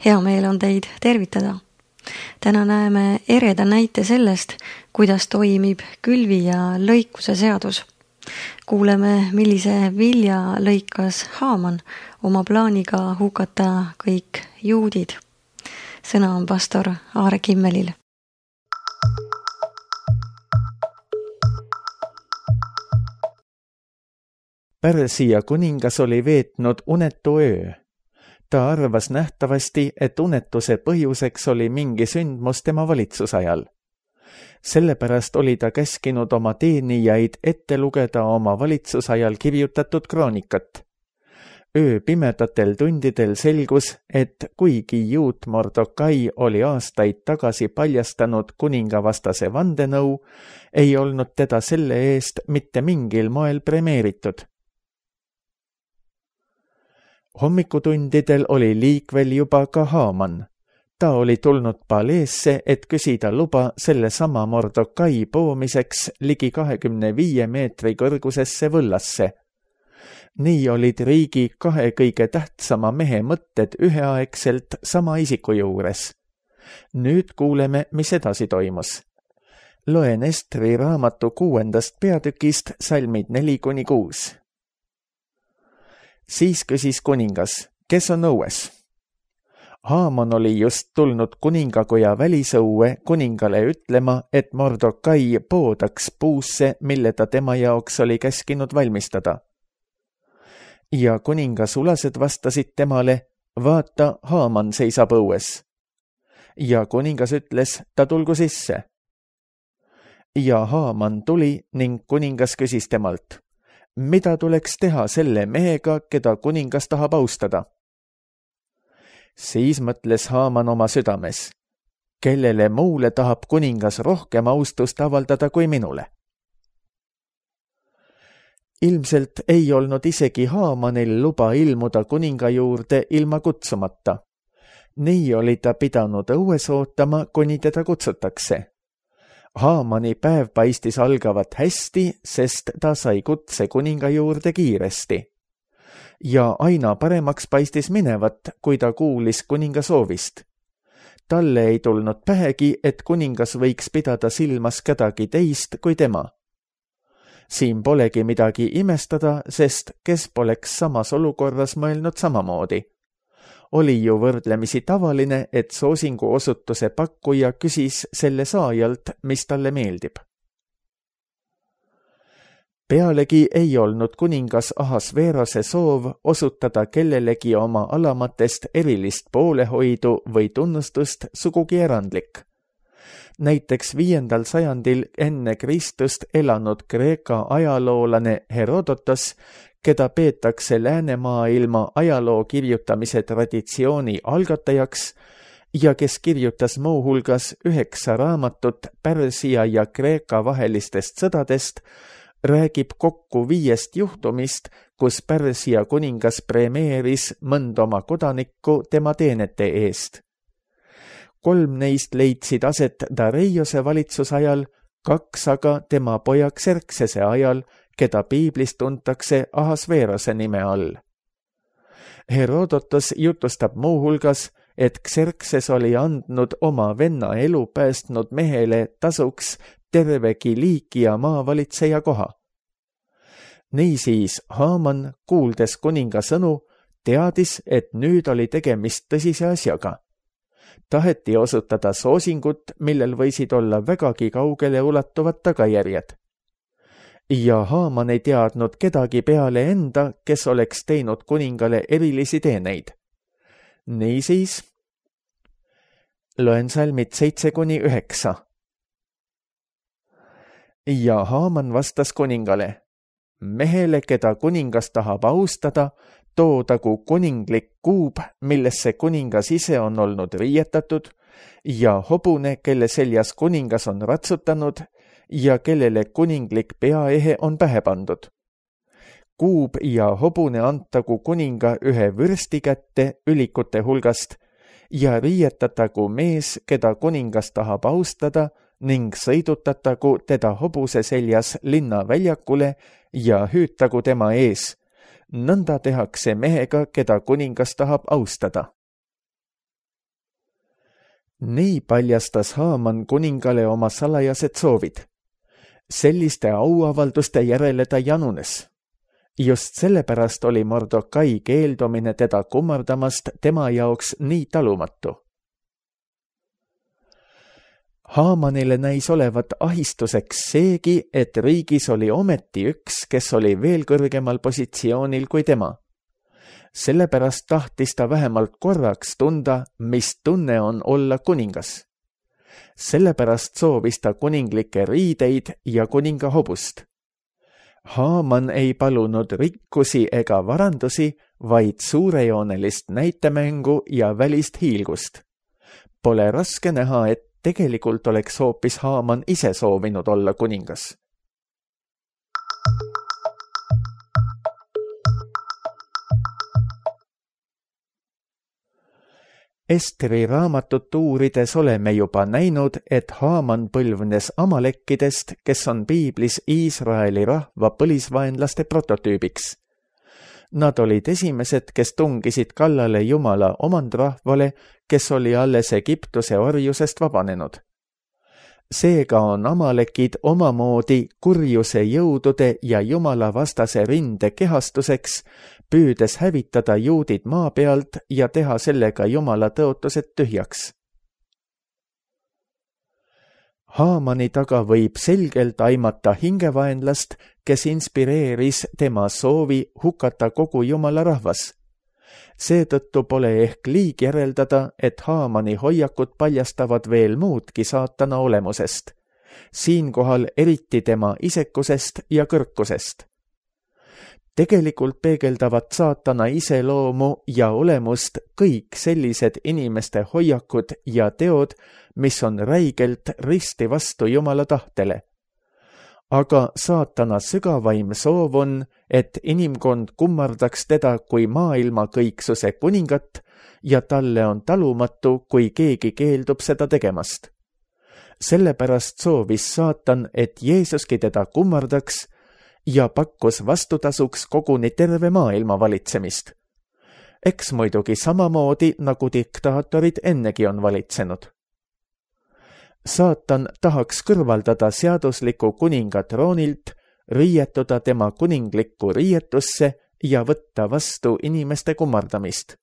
Hea meel on teid tervitada. Täna näeme ereda näite sellest, kuidas toimib külvi ja lõikuse seadus. Kuuleme, millise vilja lõikas Haaman oma plaaniga hukata kõik juudid. Sõna on pastor Aare Kimmelil. Pärsia kuningas oli veetnud unetu öö. Ta arvas nähtavasti, et unetuse põhjuseks oli mingi sündmus tema valitsusajal. Sellepärast oli ta käskinud oma teenijaid ette lugeda oma valitsusajal kirjutatud kroonikat. Öö pimedatel tundidel selgus, et kuigi juut Mordokai oli aastaid tagasi paljastanud kuningavastase vandenõu, ei olnud teda selle eest mitte mingil moel premeeritud. Hommikutundidel oli liikvel juba ka Haaman. Ta oli tulnud paleesse, et küsida luba selle sama Mordokai poomiseks ligi 25 meetri kõrgusesse võllasse. Nii olid riigi kahe kõige tähtsama mehe mõtted üheaegselt sama isiku juures. Nüüd kuuleme, mis edasi toimus. Loen Estri raamatu 6. peatükist salmid 4-6. Siis küsis kuningas, kes on õues? Haaman oli just tulnud kuningakoja välisõue kuningale ütlema, et Mordokai poodaks puusse, mille ta tema jaoks oli käskinud valmistada. Ja kuningassulased vastasid temale, vaata, Haaman seisab õues. Ja kuningas ütles, ta tulgu sisse. Ja Haaman tuli ning kuningas küsis temalt, mida tuleks teha selle mehega, keda kuningas tahab austada? Siis mõtles Haaman oma südames, kellele muule tahab kuningas rohkem austust avaldada kui minule. Ilmselt ei olnud isegi Haamanil luba ilmuda kuninga juurde ilma kutsumata. Nii oli ta pidanud õues ootama, kuni teda kutsutakse. Haamani päev paistis algavat hästi, sest ta sai kutse kuninga juurde kiiresti. Ja aina paremaks paistis minevat, kui ta kuulis kuninga soovist. Talle ei tulnud pähegi, et kuningas võiks pidada silmas kedagi teist kui tema. Siin polegi midagi imestada, sest kes poleks samas olukorras mõelnud samamoodi. Oli ju võrdlemisi tavaline, et soosingu osutuse pakkuja küsis selle saajalt, mis talle meeldib. Pealegi ei olnud kuningas Ahasveerose soov osutada kellelegi oma alamatest erilist poolehoidu või tunnustust sugugi erandlik. Näiteks 5. sajandil enne Kristust elanud Kreeka ajaloolane Herodotos, keda peetakse läänemaailma ajaloo kirjutamise traditsiooni algatajaks ja kes kirjutas muuhulgas 9 raamatut Pärsia ja Kreeka vahelistest sõdadest, räägib kokku 5 juhtumist, kus Pärsia kuningas premeeris mõnd oma kodanikku tema teenete eest. 3 neist leidsid aset Dareiose valitsusajal, 2 aga tema poja Xerxese ajal, keda piiblis tuntakse Ahasveerose nime all. Herodotos jutustab muuhulgas, et Xerxes oli andnud oma venna elu päästnud mehele tasuks terve Kiliikia maavalitseja koha. Niisiis Haaman, kuuldes kuninga sõnu, teadis, et nüüd oli tegemist tõsise asjaga. Taheti osutada soosingut, millel võisid olla vägagi kaugele ulatuvad tagajärjed. Ja Haaman ei teadnud kedagi peale enda, kes oleks teinud kuningale erilisi teeneid. Niisiis, loen salmid 7-9. Ja Haaman vastas kuningale, mehele, keda kuningas tahab austada, toodagu kuninglik kuub, millesse kuningas ise on olnud riietatud, ja hobune, kelle seljas kuningas on ratsutanud, ja kellele kuninglik peaehe on pähe pandud. Kuub ja hobune antagu kuninga ühe vürsti kätte ülikute hulgast ja riietatagu mees, keda kuningas tahab austada, ning sõidutatagu teda hobuse seljas linna väljakule ja hüütagu tema ees. Nõnda tehakse mehega, keda kuningas tahab austada. Nii paljastas Haaman kuningale oma salajased soovid. Selliste auavalduste järele ta janunes. Just sellepärast oli Mordokai keeldumine teda kummardamast tema jaoks nii talumatu. Haamanile näis olevat ahistuseks seegi, et riigis oli ometi üks, kes oli veel kõrgemal positsioonil kui tema. Sellepärast tahtis ta vähemalt korraks tunda, mis tunne on olla kuningas. Sellepärast soovis ta kuninglikke riideid ja kuninga hobust. Haaman ei palunud rikkusi ega varandusi, vaid suurejoonelist näitemängu ja välist hiilgust. Pole raske näha, et tegelikult oleks hoopis Haaman ise soovinud olla kuningas. Esteri raamatut uurides oleme juba näinud, et Haaman põlvnes amalekkidest, kes on piiblis Iisraeli rahva põlisvaenlaste prototüübiks. Nad olid esimesed, kes tungisid kallale Jumala omandrahvale, kes oli alles Egiptuse orjusest vabanenud. Seega on amalekid omamoodi kurjuse jõudude ja Jumala vastase rinde kehastuseks, püüdes hävitada juudid maa pealt ja teha sellega Jumala tõotused tühjaks. Haamani taga võib selgelt aimata hingevaenlast, kes inspireeris tema soovi hukata kogu Jumala rahvas. Seetõttu pole ehk liig järeldada, et Haamani hoiakud paljastavad veel muudki saatana olemusest. Siinkohal eriti tema isekusest ja kõrkusest. Tegelikult peegeldavad saatana iseloomu ja olemust kõik sellised inimeste hoiakud ja teod, mis on räigelt risti vastu Jumala tahtele. Aga saatana sügavaim soov on, et inimkond kummardaks teda kui maailma kõiksuse kuningat ja talle on talumatu, kui keegi keeldub seda tegemast. Sellepärast soovis saatan, et Jeesuski teda kummardaks ja pakkus vastutasuks koguni terve maailma valitsemist. Eks muidugi samamoodi, nagu diktaatorid ennegi on valitsenud. Saatan tahaks kõrvaldada seadusliku kuninga troonilt, riietuda tema kuninglikku riietusse ja võtta vastu inimeste kummardamist.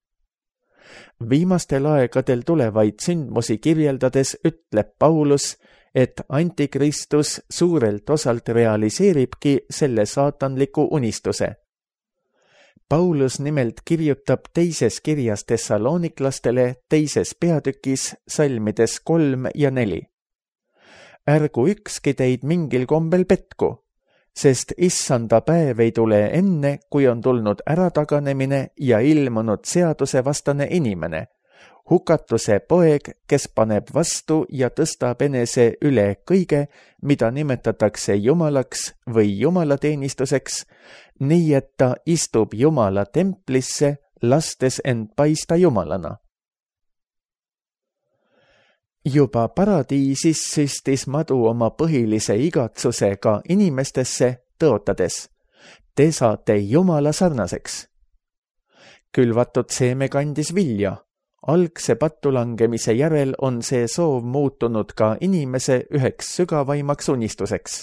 Viimastel aegadel tulevaid sündmusi kirjeldades ütleb Paulus, et antikristus suurelt osalt realiseeribki selle saatanliku unistuse. Paulus nimelt kirjutab teises kirjas Thessaloniklastele teises peatükis salmides 3 ja 4. Ärgu ükski teid mingil kombel petku, sest issanda päev ei tule enne, kui on tulnud ärataganemine ja ilmunud seadusevastane inimene, hukatuse poeg, kes paneb vastu ja tõstab enese üle kõige, mida nimetatakse jumalaks või jumalateenistuseks, nii et ta istub Jumala templisse, lastes end paista jumalana. Juba paradiisis süstis madu oma põhilise igatsusega inimestesse, tõotades: te saate Jumala sarnaseks. Külvatud seeme kandis vilja. Algse pattulangemise järel on see soov muutunud ka inimese üheks sügavaimaks unistuseks.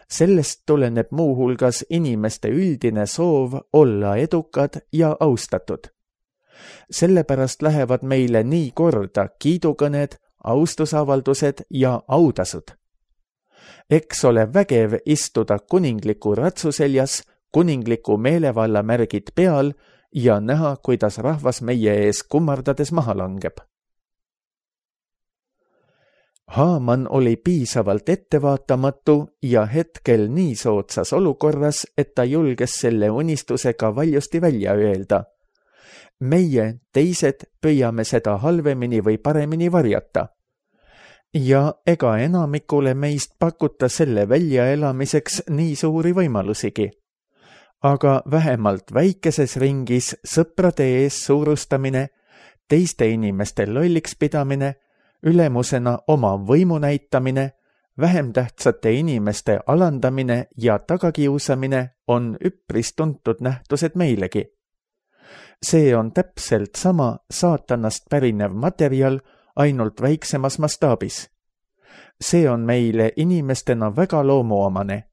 Sellest tuleneb muuhulgas inimeste üldine soov olla edukad ja austatud. Sellepärast lähevad meile nii korda kiidukõned, austusavaldused ja autasud. Eks ole vägev istuda kuningliku ratsuseljas, kuningliku meelevalla märgid peal ja näha, kuidas rahvas meie ees kummardades maha langeb. Haaman oli piisavalt ettevaatamatu ja hetkel nii soodsas olukorras, et ta julges selle unistusega valjusti välja öelda. Meie, teised, püüame seda halvemini või paremini varjata. Ja ega enamikule meist pakuta selle väljaelamiseks nii suuri võimalusigi. Aga vähemalt väikeses ringis sõprade ees suurustamine, teiste inimeste lolliks pidamine, ülemusena oma võimu näitamine, vähem tähtsate inimeste alandamine ja tagakiusamine on üpris tuntud nähtused meilegi. See on täpselt sama saatanast pärinev materjal, ainult väiksemas mastaabis. See on meile inimestena väga loomuomane.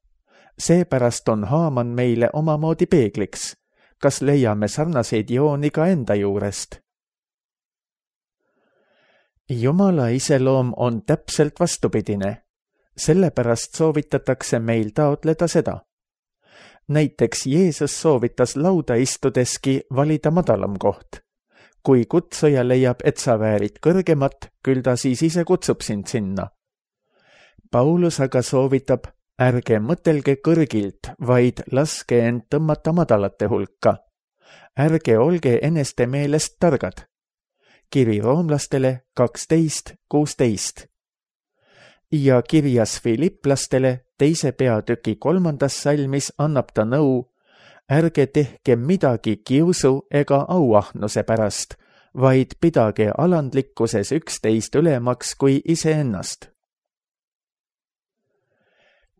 Seepärast on Haaman meile omamoodi peegliks. Kas leiame sarnaseid jooni ka enda juurest? Jumala iseloom on täpselt vastupidine. Sellepärast soovitatakse meil taotleda seda. Näiteks Jeesus soovitas lauda istudeski valida madalam koht. Kui kutsuja leiab, et sa väärid kõrgemat, küll ta siis ise kutsub sind sinna. Paulus aga soovitab, ärge mõtelge kõrgilt, vaid laske end tõmmata madalate hulka. Ärge olge eneste meelest targad. Kiri roomlastele 12:16. Ja kirjas Filiplastele 2. peatüki 3. salmis annab ta nõu, ärge tehke midagi kiusu ega auahnuse pärast, vaid pidage alandlikkuses üksteist ülemaks kui iseennast.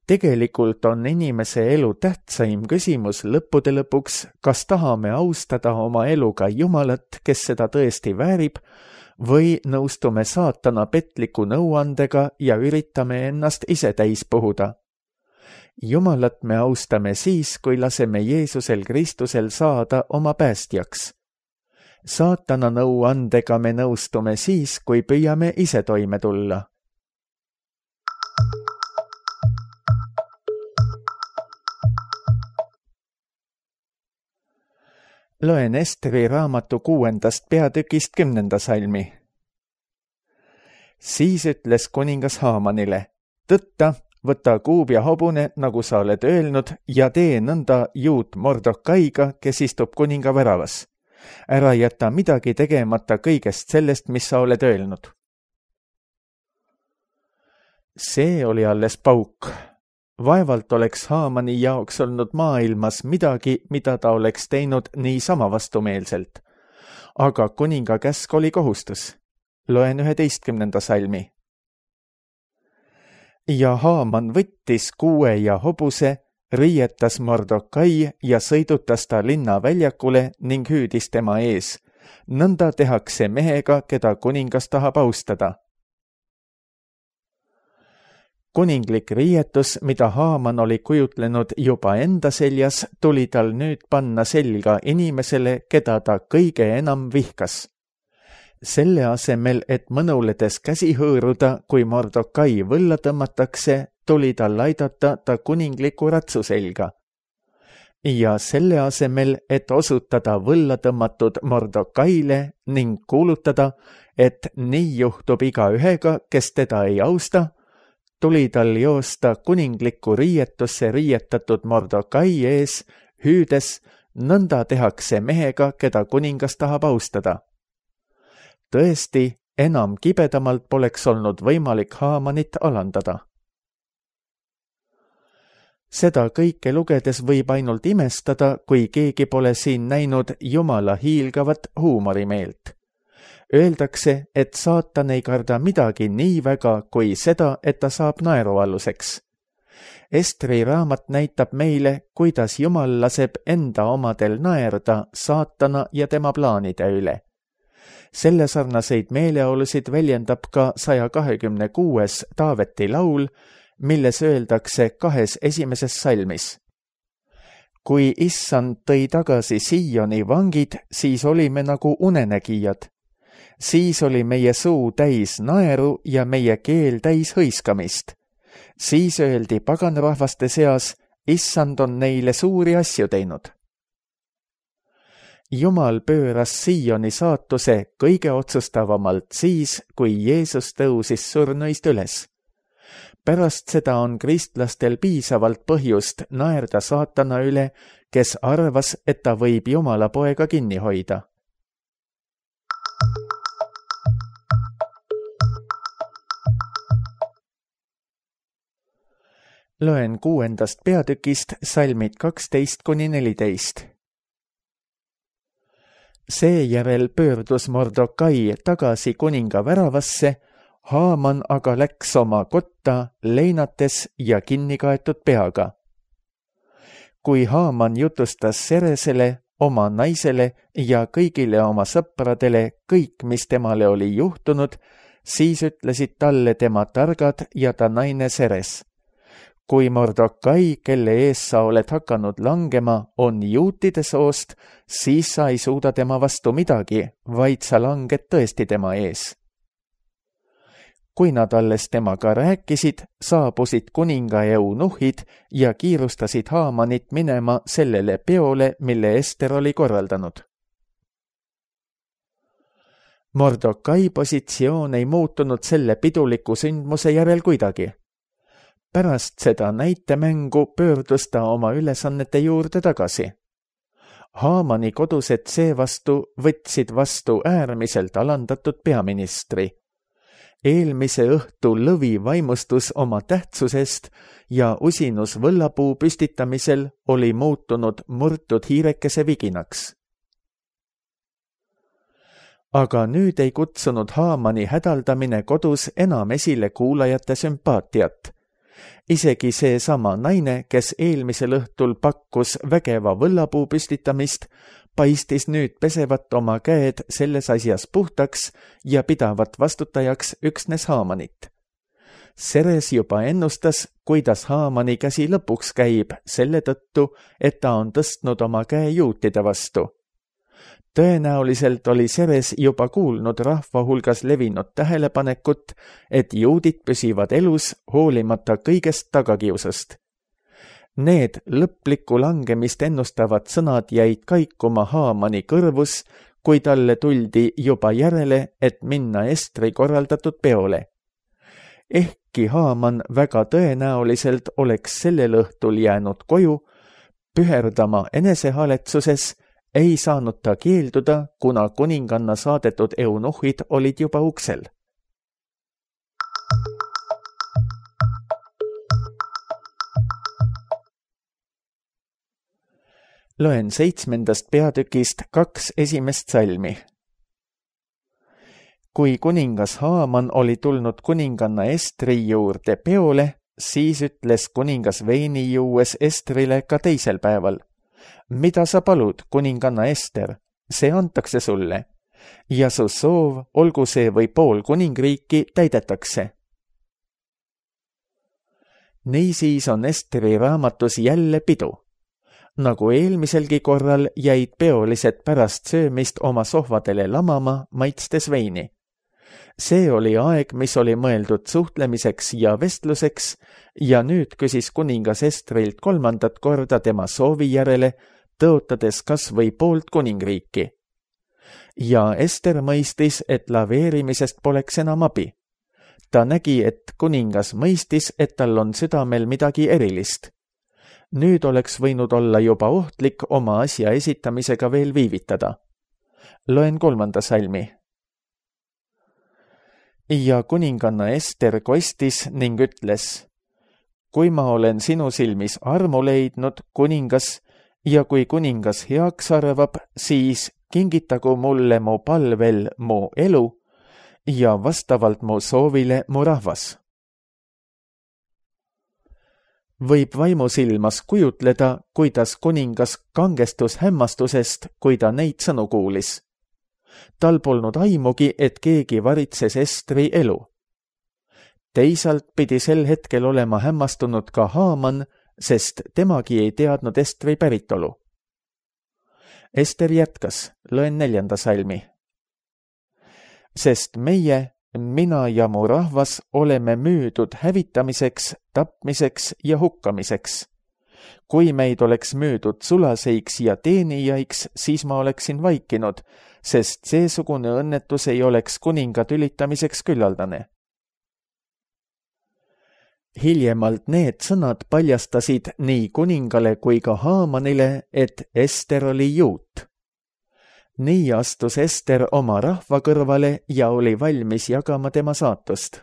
Tegelikult on inimese elu tähtsaim küsimus lõppude lõpuks, kas tahame austada oma eluga Jumalat, kes seda tõesti väärib, või nõustume saatana petliku nõuandega ja üritame ennast ise täis puhuda. Jumalat me austame siis, kui laseme Jeesusel Kristusel saada oma päästjaks. Saatana nõuandega me nõustume siis, kui püüame ise toime tulla. Loen Esteri raamatu 6. peatükist 10. salmi. Siis ütles kuningas Haamanile, tõtta, võta kuub ja hobune, nagu sa oled öelnud, ja tee nõnda juut Mordokaiga, kes istub kuninga väravas. Ära jäta midagi tegemata kõigest sellest, mis sa oled öelnud. See oli alles pauk. Vaevalt oleks Haamani jaoks olnud maailmas midagi, mida ta oleks teinud niisama vastumeelselt. Aga kuninga käsk oli kohustus. Loen 11. salmi. Ja Haaman võttis kuue ja hobuse, riietas Mordokai ja sõidutas ta linna väljakule ning hüüdis tema ees. Nõnda tehakse mehega, keda kuningas tahab austada. Kuninglik riietus, mida Haaman oli kujutlenud juba enda seljas, tuli tal nüüd panna selga inimesele, keda ta kõige enam vihkas. Selle asemel, et mõnuledes käsi hõõruda, kui Mordokai võlla tõmmatakse, tuli tal aidata ta kuningliku ratsu selga. Ja selle asemel, et osutada võlla tõmmatud Mordokaile ning kuulutada, et nii juhtub igaühega, kes teda ei austa, tuli tal joosta kuninglikku riietusse riietatud Mordokai ees, hüüdes, nõnda tehakse mehega, keda kuningas tahab austada. Tõesti, enam kibedamalt poleks olnud võimalik Haamanit alandada. Seda kõike lugedes võib ainult imestada, kui keegi pole siin näinud Jumala hiilgavat huumorimeelt. Öeldakse, et saatan ei karda midagi nii väga kui seda, et ta saab naerualuseks. Estri raamat näitab meile, kuidas Jumal laseb enda omadel naerda saatana ja tema plaanide üle. Selle sarnaseid meeleolusid väljendab ka 126. Taaveti laul, milles öeldakse 2 esimeses salmis. Kui issand tõi tagasi Sioni vangid, siis olime nagu unenägijad. Siis oli meie suu täis naeru ja meie keel täis hõiskamist. Siis öeldi paganrahvaste seas, issand on neile suuri asju teinud. Jumal pööras Sioni saatuse kõige otsustavamalt siis, kui Jeesus tõusis surnuist üles. Pärast seda on kristlastel piisavalt põhjust naerda saatana üle, kes arvas, et ta võib Jumala poega kinni hoida. Loen 6. peatükist salmid 12-14. Seejärel pöördus Mordokai tagasi kuninga väravasse, Haaman aga läks oma kotta leinates ja kinnikaetud peaga. Kui Haaman jutustas Seresele, oma naisele ja kõigile oma sõpradele kõik, mis temale oli juhtunud, Siis ütlesid talle tema targad ja ta naine Seres. Kui Mordokai, kelle ees sa oled hakanud langema, on juutide soost, siis sa ei suuda tema vastu midagi, vaid sa langed tõesti tema ees. Kui nad alles temaga rääkisid, saabusid kuninga eunuhid ja kiirustasid Haamanit minema sellele peole, mille Ester oli korraldanud. Mordokai positsioon ei muutunud selle piduliku sündmuse järel kuidagi. Pärast seda näitemängu pöördus ta oma ülesannete juurde tagasi. Haamani kodused seevastu võtsid vastu äärmiselt alandatud peaministri. Eelmise õhtu lõvi vaimustus oma tähtsusest ja usinus võllapuu püstitamisel oli muutunud murtud hiirekese viginaks. Aga nüüd ei kutsunud Haamani hädaldamine kodus enam esile kuulajate sümpaatiat. Isegi see sama naine, kes eelmisel õhtul pakkus vägeva võllapuu püstitamist, paistis nüüd pesevat oma käed selles asjas puhtaks ja pidavat vastutajaks üksnes Haamanit. Seres juba ennustas, kuidas Haamani käsi lõpuks käib selle tõttu, et ta on tõstnud oma käe juutide vastu. Tõenäoliselt oli Seres juba kuulnud rahva hulgas levinud tähelepanekut, et juudid püsivad elus hoolimata kõigest tagakiusast. Need lõplikku langemist ennustavad sõnad jäid kaikuma Haamani kõrvus, kui talle tuldi juba järele, et minna Estri korraldatud peole. Ehkki Haaman väga tõenäoliselt oleks sellel õhtul jäänud koju, püherdama enesehaletsuses, ei saanud ta keelduda, kuna kuninganna saadetud eunuhid olid juba uksel. Loen 7. peatükist 2 esimest salmi. Kui kuningas Haaman oli tulnud kuninganna Estri juurde peole, siis ütles kuningas veini juues Estrile ka teisel päeval. Mida sa palud, kuninganna Ester, see antakse sulle, ja su soov, olgu see või pool kuningriiki, täidetakse. Niisiis on Esteri raamatus jälle pidu. Nagu eelmiselgi korral jäid peolised pärast söömist oma sohvadele lamama, maitstes veini. See oli aeg, mis oli mõeldud suhtlemiseks ja vestluseks, ja nüüd küsis kuningas Estrilt 3. korda tema soovi järele, tõotades kas või poolt kuningriiki. Ja Ester mõistis, et laveerimisest poleks enam abi. Ta nägi, et kuningas mõistis, et tal on südamel midagi erilist. Nüüd oleks võinud olla juba ohtlik oma asja esitamisega veel viivitada. Loen 3. salmi. Ja kuninganna Ester kostis ning ütles, kui ma olen sinu silmis armu leidnud, kuningas, ja kui kuningas heaks arvab, siis kingitagu mulle mu palvel mu elu ja vastavalt mu soovile mu rahvas. Võib vaimusilmas kujutleda, kuidas kuningas kangestus hämmastusest, kui ta neid sõnu kuulis. Tal polnud aimugi, et keegi varitses Estri elu. Teisalt pidi sel hetkel olema hämmastunud ka Haaman, sest temagi ei teadnud Estri päritolu. Ester jätkas, loen 4. salmi. Sest meie, mina ja mu rahvas oleme müüdud hävitamiseks, tapmiseks ja hukkamiseks. Kui meid oleks müüdud sulaseiks ja teenijaiks, siis ma oleksin vaikinud, sest seesugune õnnetus ei oleks kuninga tülitamiseks küllaldane. Hiljemalt need sõnad paljastasid nii kuningale kui ka Haamanile, et Ester oli juut. Nii astus Ester oma rahva kõrvale ja oli valmis jagama tema saatust.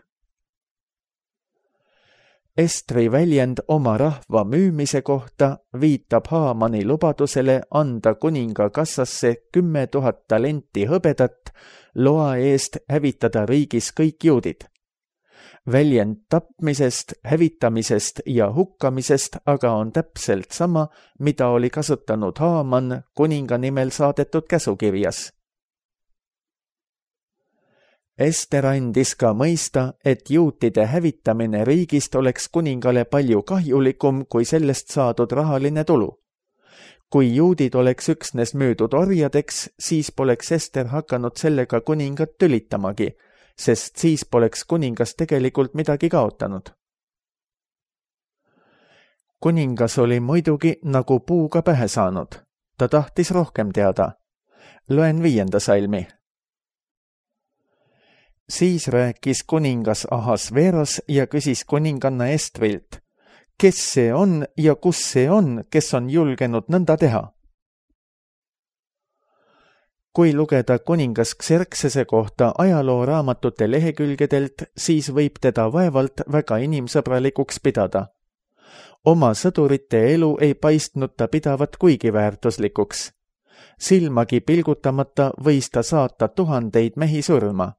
Estri väljend oma rahva müümise kohta viitab Haamani lubadusele anda kuninga kassasse 10 000 talenti hõbedat loa eest hävitada riigis kõik juudid. Väljend tapmisest, hävitamisest ja hukkamisest aga on täpselt sama, mida oli kasutanud Haaman kuninga nimel saadetud käsukirjas. Ester andis ka mõista, et juutide hävitamine riigist oleks kuningale palju kahjulikum kui sellest saadud rahaline tulu. Kui juudid oleks üksnes müüdud orjadeks, siis poleks Ester hakanud sellega kuningat tülitamagi, sest siis poleks kuningas tegelikult midagi kaotanud. Kuningas oli muidugi nagu puuga pähe saanud. Ta tahtis rohkem teada. Loen 5. salmi. Siis rääkis kuningas Ahasveros ja küsis kuninganna Estrilt, kes see on ja kus see on, kes on julgenud nõnda teha? Kui lugeda kuningas Xerxese kohta ajalooraamatute lehekülgedelt, siis võib teda vaevalt väga inimsõbralikuks pidada. Oma sõdurite elu ei paistnud ta pidavat kuigi väärtuslikuks. Silmagi pilgutamata võis ta saata 1000 mehi surma.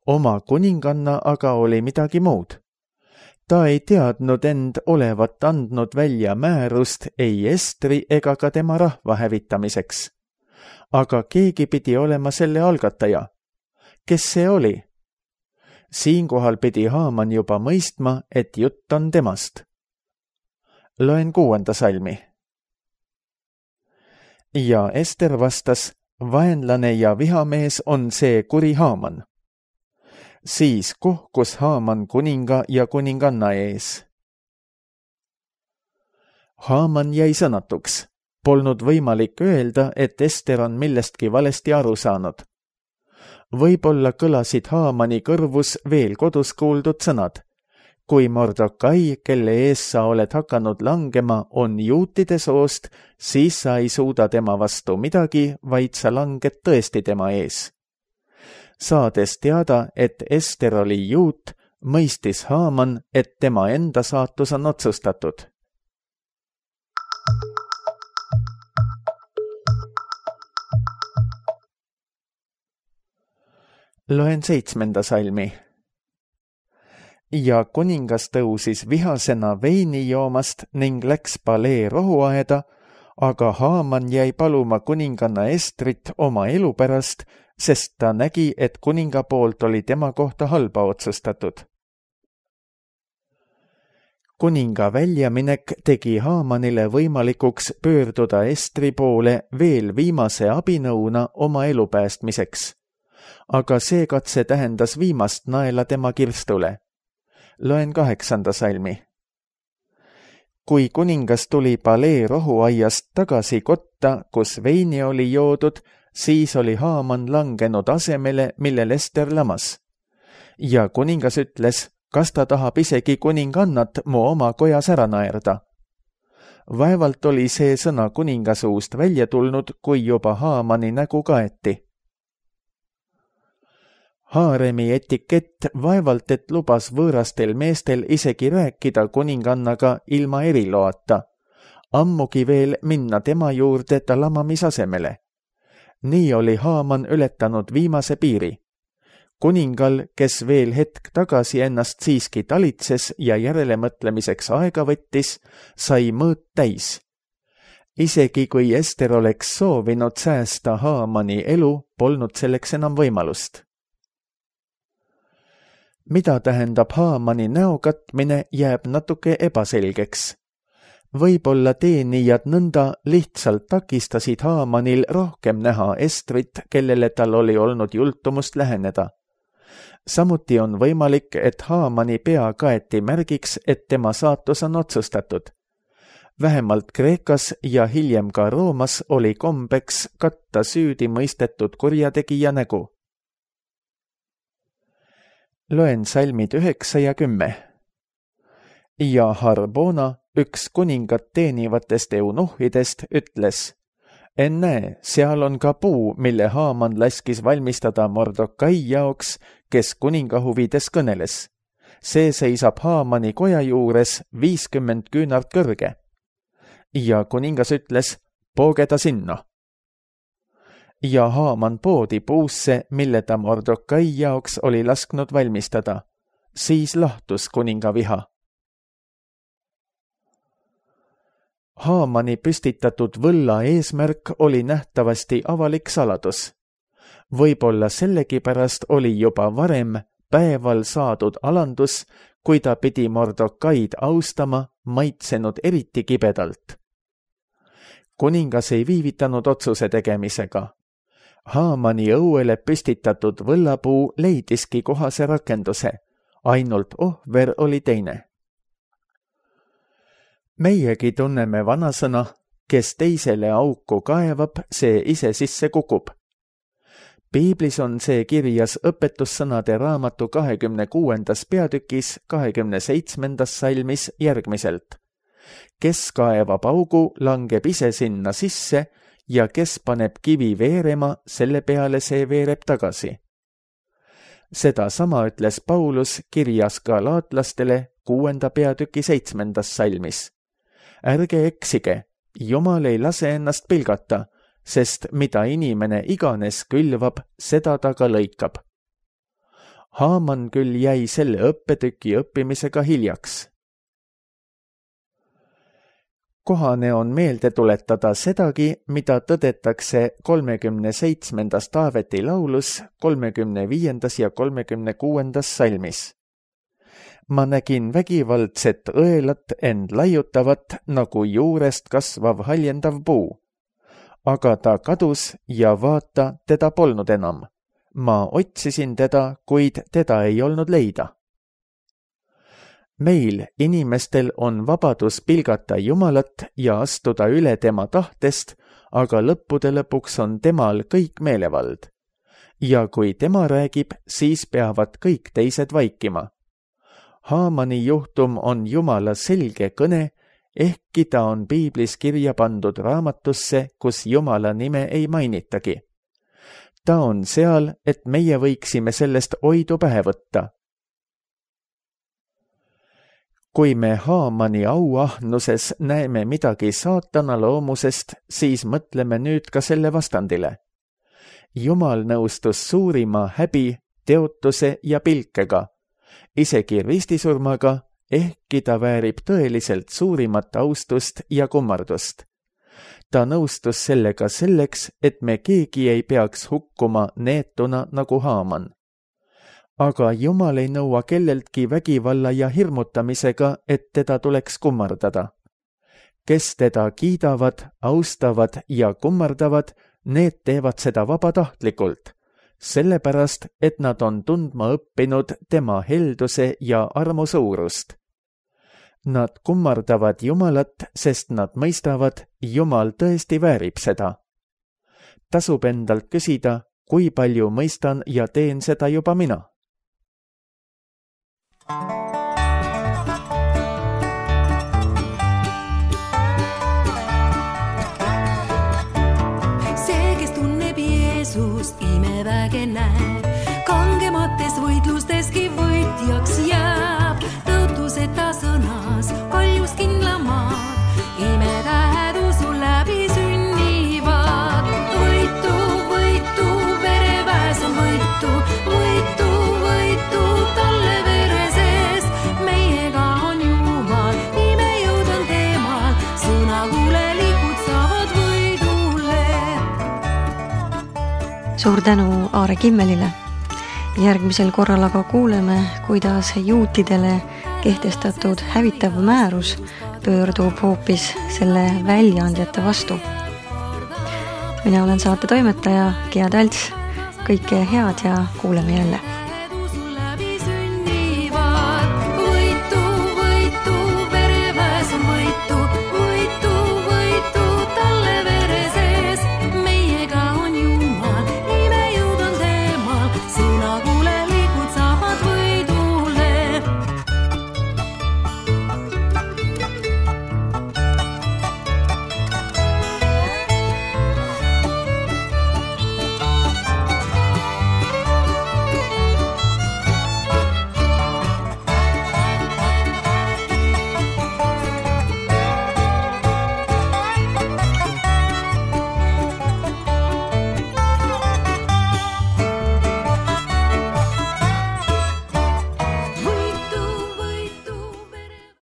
Oma kuninganna aga oli midagi muud. Ta ei teadnud end olevat andnud välja määrust ei Estri ega ka tema rahva hävitamiseks. Aga keegi pidi olema selle algataja. Kes see oli? Siinkohal pidi Haaman juba mõistma, et jutt on temast. Loen 6. salmi. Ja Ester vastas, vaenlane ja vihamees on see kuri Haaman. Siis kohkus Haaman kuninga ja kuninganna ees. Haaman jäi sõnatuks. Polnud võimalik öelda, et Ester on millestki valesti aru saanud. Võib-olla kõlasid Haamani kõrvus veel kodus kuuldud sõnad. Kui Mordokai, kelle ees sa oled hakanud langema, on juutide soost, siis sa ei suuda tema vastu midagi, vaid sa langed tõesti tema ees. Saades teada, et Ester oli juut, mõistis Haaman, et tema enda saatus on otsustatud. Loen 7. salmi. Ja kuningas tõusis vihasena veini joomast ning läks palee rohuaeda, aga Haaman jäi paluma kuninganna Estrit oma elu pärast, sest ta nägi, et kuninga poolt oli tema kohta halba otsustatud. Kuninga väljaminek tegi Haamanile võimalikuks pöörduda Estri poole veel viimase abinõuna oma elu päästmiseks. Aga see katse tähendas viimast naela tema kirstule. Loen 8. salmi. Kui kuningas tuli palee rohuaiast tagasi kotta, kus veini oli joodud, siis oli Haaman langenud asemele, millel Ester lamas. Ja kuningas ütles, kas ta tahab isegi kuningannat mu oma kojas ära naerda. Vaevalt oli see sõna kuninga suust välja tulnud, kui juba Haamani nägu kaeti. Haaremi etikett vaevalt, et lubas võõrastel meestel isegi rääkida kuningannaga ilma eriloata, ammugi veel minna tema juurde ta lamamisasemele. Nii oli Haaman ületanud viimase piiri. Kuningal, kes veel hetk tagasi ennast siiski talitses ja järelemõtlemiseks aega võttis, sai mõõt täis. Isegi kui Ester oleks soovinud säästa Haamani elu, polnud selleks enam võimalust. Mida tähendab Haamani näo katmine, jääb natuke ebaselgeks. Võib-olla teenijad nõnda lihtsalt takistasid Haamanil rohkem näha Estrit, kellele tal oli olnud jultumust läheneda. Samuti on võimalik, et Haamani pea kaeti märgiks, et tema saatus on otsustatud. Vähemalt Kreekas ja hiljem ka Roomas oli kombeks katta süüdi mõistetud kurjategija nägu. Loen salmid 9 ja 10. Ja Harbona, üks kuningat teenivatest eunuhidest, ütles, ennäe, seal on ka puu, mille Haaman laskis valmistada Mordokai jaoks, kes kuninga huvides kõneles. See seisab Haamani koja juures 50 küünart kõrge. Ja kuningas ütles, pooge ta sinna. Ja Haaman poodi puusse, mille ta Mordokai jaoks oli lasknud valmistada. Siis lahtus kuninga viha. Haamani püstitatud võlla eesmärk oli nähtavasti avalik saladus. Võib-olla sellegipärast oli juba varem päeval saadud alandus, kui ta pidi Mordokaid austama, maitsenud eriti kibedalt. Kuningas ei viivitanud otsuse tegemisega. Haamani õuele püstitatud võllapuu leidiski kohase rakenduse, ainult ohver oli teine. Meiegi tunneme vanasõna, kes teisele auku kaevab, see ise sisse kukub. Piiblis on see kirjas õpetussõnade raamatu 26. peatükis 27. salmis järgmiselt. Kes kaevab augu, langeb ise sinna sisse ja kes paneb kivi veerema, selle peale see veereb tagasi. Seda sama ütles Paulus kirjas galaatlastele 6. peatüki 7. salmis. Ärge eksige, Jumal ei lase ennast pilgata, sest mida inimene iganes külvab, seda ta ka lõikab. Haaman küll jäi selle õppetüki õppimisega hiljaks. Kohane on meelde tuletada sedagi, mida tõdetakse 37. Taaveti laulus 35. ja 36. salmis. Ma nägin vägivaldset õelat end laiutavat nagu juurest kasvav haljendav puu. Aga ta kadus ja vaata, teda polnud enam. Ma otsisin teda, kuid teda ei olnud leida. Meil, inimestel, on vabadus pilgata Jumalat ja astuda üle tema tahtest, aga lõppude lõpuks on temal kõik meelevald. Ja kui tema räägib, siis peavad kõik teised vaikima. Haamani juhtum on Jumala selge kõne, ehkki ta on Piiblis kirja pandud raamatusse, kus Jumala nime ei mainitagi. Ta on seal, et meie võiksime sellest oidu pähe võtta. Kui me Haamani auahnuses näeme midagi saatana loomusest, siis mõtleme nüüd ka selle vastandile. Jumal nõustus suurima häbi, teotuse ja pilkega, isegi ristisurmaga, ehkki ta väärib tõeliselt suurimat austust ja kummardust. Ta nõustus sellega selleks, et me keegi ei peaks hukkuma neetuna nagu Haaman. Aga Jumal ei nõua kelleltki vägivalla ja hirmutamisega, et teda tuleks kummardada. Kes teda kiidavad, austavad ja kummardavad, need teevad seda vabatahtlikult, sellepärast, et nad on tundma õppinud tema helduse ja armu suurust. Nad kummardavad Jumalat, sest nad mõistavad, Jumal tõesti väärib seda. Tasub endalt küsida, kui palju mõistan ja teen seda juba mina. See, kes tunneb Jeesust, imeväge näeb, kangemates võitlusteski võitjaks jääb, tõotuseta sõnas paljus kindlamaad, imetähed usu läbi sünnivad. Võitu, võitu, vereväes on võitu, võitu, võitu talle vere sees, meiega on Jumal, imejõud on temal, sõnakuulelikud saavad võidule. Suur tänu Aare Kimmelile. Järgmisel korral aga kuuleme, kuidas juutidele kehtestatud hävitav määrus pöördub hoopis selle väljaandjate vastu. Mina olen saate toimetaja Gea Talts. Kõike head ja kuuleme jälle.